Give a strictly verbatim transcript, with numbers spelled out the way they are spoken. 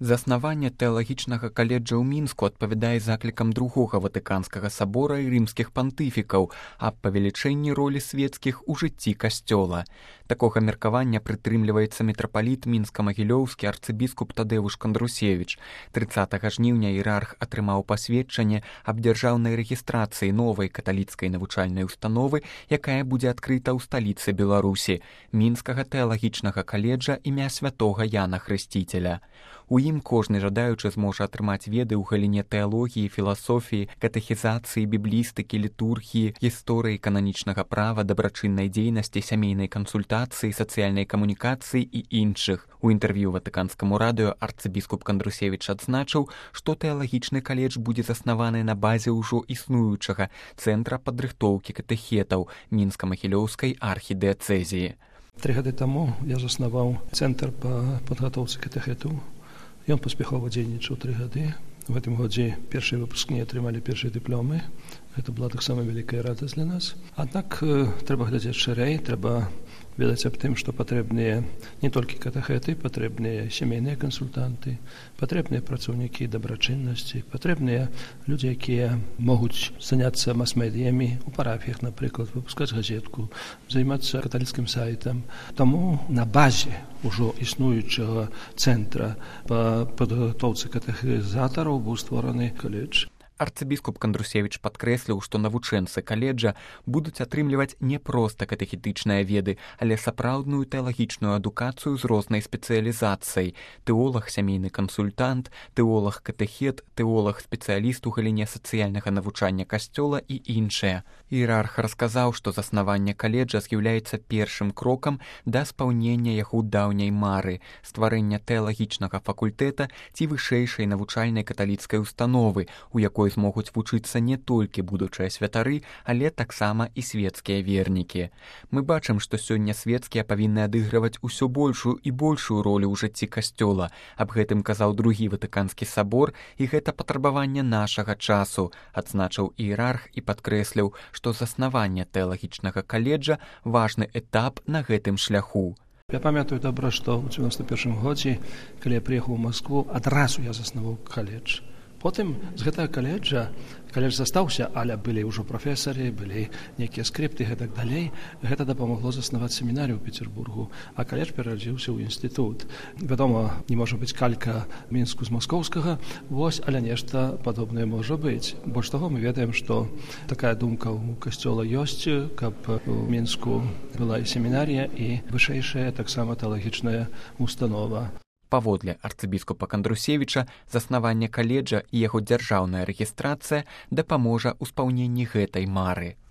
Заснаванне тэалагічнага каледжа ў Мінску адпавядае заклікам другога ватыканскага сабора і рымскіх пантыфікаў аб павелічэнні ролі свецкіх у жыцці касцёла. Такога меркавання прытрымліваецца мітрапаліт мінска-магілёўскі арцыбіскуп Тадэвуш Кандрусевіч. трыццатага жніўня іерарх атрымаў пасведчанне аб дзяржаўнай рэгістрацыі новай каталіцкай навучальнай установы, якая будзе адкрыта ў сталіцы Беларусі, мінскага тэалагічнага каледжа імя святога Яна Хрысціцеля. У ім кожны жадаючы зможа атрымаць веды ў галіне тэалогіі, філасофіі, катэхізацыі, біблістыкі, літургіі, гісторыі кананічнага права, дабрачыннай дзейнасці, сямейнай кансультацыі, сацыяльнай камунікацыі і іншых. У інтэрв'ю ватыканскаму радыё арцыбіскуп Кандрусевіч адзначыў, што тэалагічны каледж будзе заснаваны на базе ўжо існуючага цэнтра падрыхтоўкі катэхетаў мінска-магілёўскай архідыяцэзіі. Тры гады таму я заснаваў цэнтр па падгатоўцы катэхетаў. Ён паспяхова дзейнічаў тры гады. У гэтым годзе першыя выпускнікі атрымалі першыя дыпломы. Гэта была таксама вялікая радасць для нас. Аднак трэба глядзець шырэй, трэба ведаць аб тым, што патрэбныя не толькі катэхеты, патрэбныя сямейныя кансультанты, патрэбныя працаўнікі дабрачыннасці, патрэбныя людзі, якія могуць заняцца мас-медыямі ў парафіях, напрыклад, выпускаць газетку, займацца каталіцкім сайтам. Таму на базе ўжо існуючага цэнтра па падгатоўцы катэхізатараў быў створаны каледж. Арцыбіскуп Кандрусевіч падкрэсліў, што навучэнцы каледжа будуць атрымліваць не проста катэхетычныя веды, але сапраўдную тэалагічную адукацыю з рознай спецыялізацыяй. Тэолаг, сямейны кансультант, тэолаг катэхет, тэолаг спецыяліст у галіне сацыяльнага навучання касцёла і іншыя. Іерарх расказаў, што заснаванне каледжа з'яўляецца першым крокам да спаўнення яго даўняй мары, стварэння тэалагічнага факультэта ці вышэйшай навучальнай каталіцкай установы, у якой змогуць вучыцца не толькі будучыя святары, але таксама і свецкія вернікі. Мы бачым, што сёння свецкія павінны адыгрываць усё большую і большую ролю ў жыцці касцёла. Аб гэтым казаў другі ватыканскі сабор, і гэта патрабаванне нашага часу, адзначыў іерарх і падкрэсліў, што заснаванне тэалагічнага каледжа важны этап на гэтым шляху. Я памятаю добра, што ў дзевяносто першым годзе, калі я прыехаў у Маскву, адразу я заснаваў каледж. Потым з гэтага каледжа, каледж застаўся, але былі ўжо прафесары, былі нейкія скрыпты і гэтак далей. Гэта дапамагло заснаваць семінарыю ў Петербургу, а каледж перарадзіўся ў інстытут. Вядома, не можа быць калька Мінску з маскоўскага, вось, але нешта падобнае можа быць. Больш таго, мы ведаем, што такая думка ў касцёла ёсць, каб у Мінску была і семінарія, і вышэйшая таксама тэалагічная установа. Паводле арцыбіскупа Кандрусевіча, заснаванне каледжа і яго дзяржаўная рэгістрацыя дапаможа ў спаўненні гэтай мары.